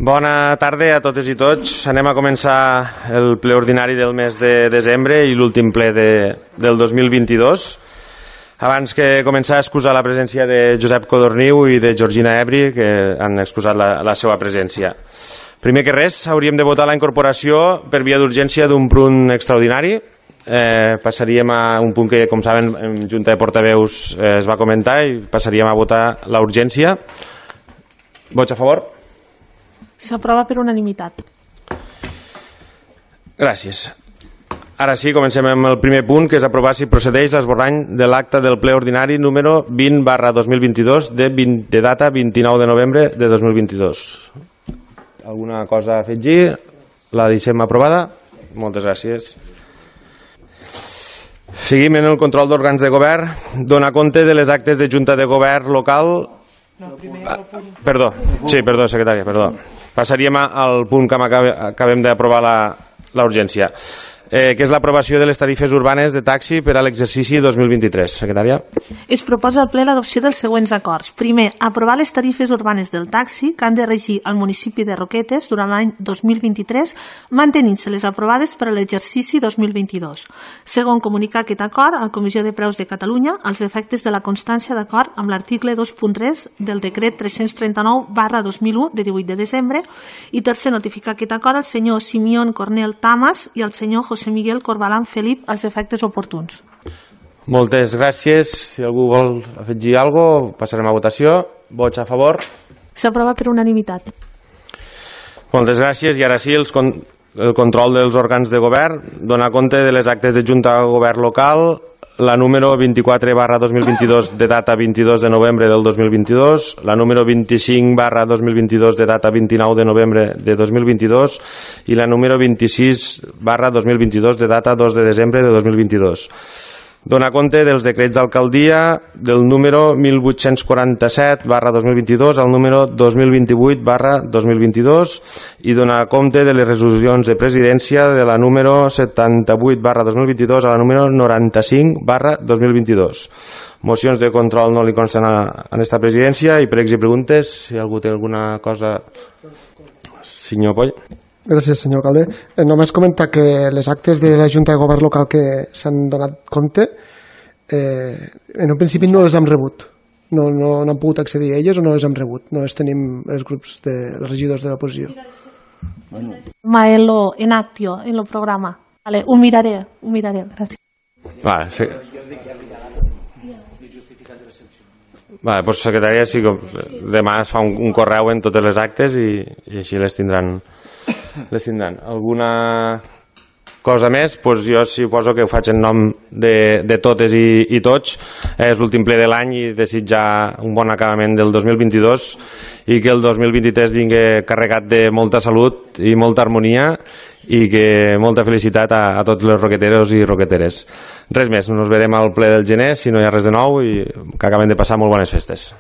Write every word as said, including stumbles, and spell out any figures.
Bona tarda a totes i tots. Anem a començar el ple ordinari del mes de desembre i l'últim ple de, del dos mil vint-i-dos. Abans que començar, excusar la presència de Josep Codorniu i de Georgina Ebri, que han excusat la, la seva presència. Primer que res, hauríem de votar la incorporació per via d'urgència d'un punt extraordinari. Eh, passaríem a un punt que, com saben, en Junta de Portaveus eh, es va comentar i passaríem a votar la urgència. Vots a favor? S'aprova per unanimitat. Gràcies. Ara sí, comencem amb el primer punt, que és aprovar si procedeix l'esborrany de l'acte del ple ordinari número vint barra dos mil vint-i-dos de, vint, de data vint-i-nou de novembre de dos mil vint-i-dos. Alguna cosa a afegir? La deixem aprovada? Moltes gràcies. Seguim en el control d'òrgans de govern. Dona compte de les actes de Junta de Govern local. No, primer ah, perdó, sí, perdó, secretària, perdó. Passaríem al punt que acabem d'aprovar la, la urgència, eh, que és l'aprovació de les tarifes urbanes de taxi per a l'exercici dos mil vint-i-tres. Secretària. Es proposa al ple l'adopció dels següents acords. Primer, aprovar les tarifes urbanes del taxi que han de regir al municipi de Roquetes durant l'any dos mil vint-i-tres, mantenint-se les aprovades per a l'exercici dos mil vint-i-dos. Segon, comunicar aquest acord a la Comissió de Preus de Catalunya als efectes de la constància d'acord amb l'article dos punt tres del decret tres-cents trenta-nou barra dos mil u de divuit de desembre. I tercer, notificar aquest acord al senyor Simeón Cornel Tamas i al senyor José Miguel Corbalán Felip als efectes oportuns. Moltes gràcies. Si algú vol afegir alguna cosa, passarem a votació. Vots a favor? S'aprova per unanimitat. Moltes gràcies. I ara sí, els con el control dels òrgans de govern. Donar compte de les actes de Junta de Govern local, la número vint-i-quatre barra dos mil vint-i-dos de data vint-i-dos de novembre del dos mil vint-i-dos, la número vint-i-cinc barra dos mil vint-i-dos de data vint-i-nou de novembre de dos mil vint-i-dos i la número vint-i-sis barra dos mil vint-i-dos de data dos de desembre de dos mil vint-i-dos. Donar compte dels decrets d'alcaldia del número mil vuit-cents quaranta-set barra dos mil vint-i-dos al número dos mil vint-i-vuit barra dos mil vint-i-dos i donar compte de les resolucions de presidència de la número setanta-vuit barra dos mil vint-i-dos a la número noranta-cinc barra dos mil vint-i-dos. Mocions de control no li consten a, a esta presidència i pregs i preguntes, si algú té alguna cosa. Senyor Poll. Gràcies, senyor alcalde. Eh, només comentar que les actes de la Junta de Govern local que s'han donat compte, eh, en un principi no les hem rebut. No, no, no han pogut accedir a elles o no les hem rebut. No les tenim els grups de els regidors de l'oposició. Maelo en actio, en el programa. Vale, ho miraré, ho miraré. Gràcies. Vale, sí. Vale, doncs secretària, sí, demà es fa un, un correu en totes les actes i, i així les tindran. Les tindran. Alguna cosa més? Pues jo suposo que ho faig en nom de, de totes i, i tots. És l'últim ple de l'any i desitjar un bon acabament del dos mil vint-i-dos i que el dos mil vint-i-tres vingui carregat de molta salut i molta harmonia i que molta felicitat a, a tots els roqueteros i roqueteres. Res més, nos verem al ple del gener si no hi ha res de nou i que acabem de passar molt bones festes.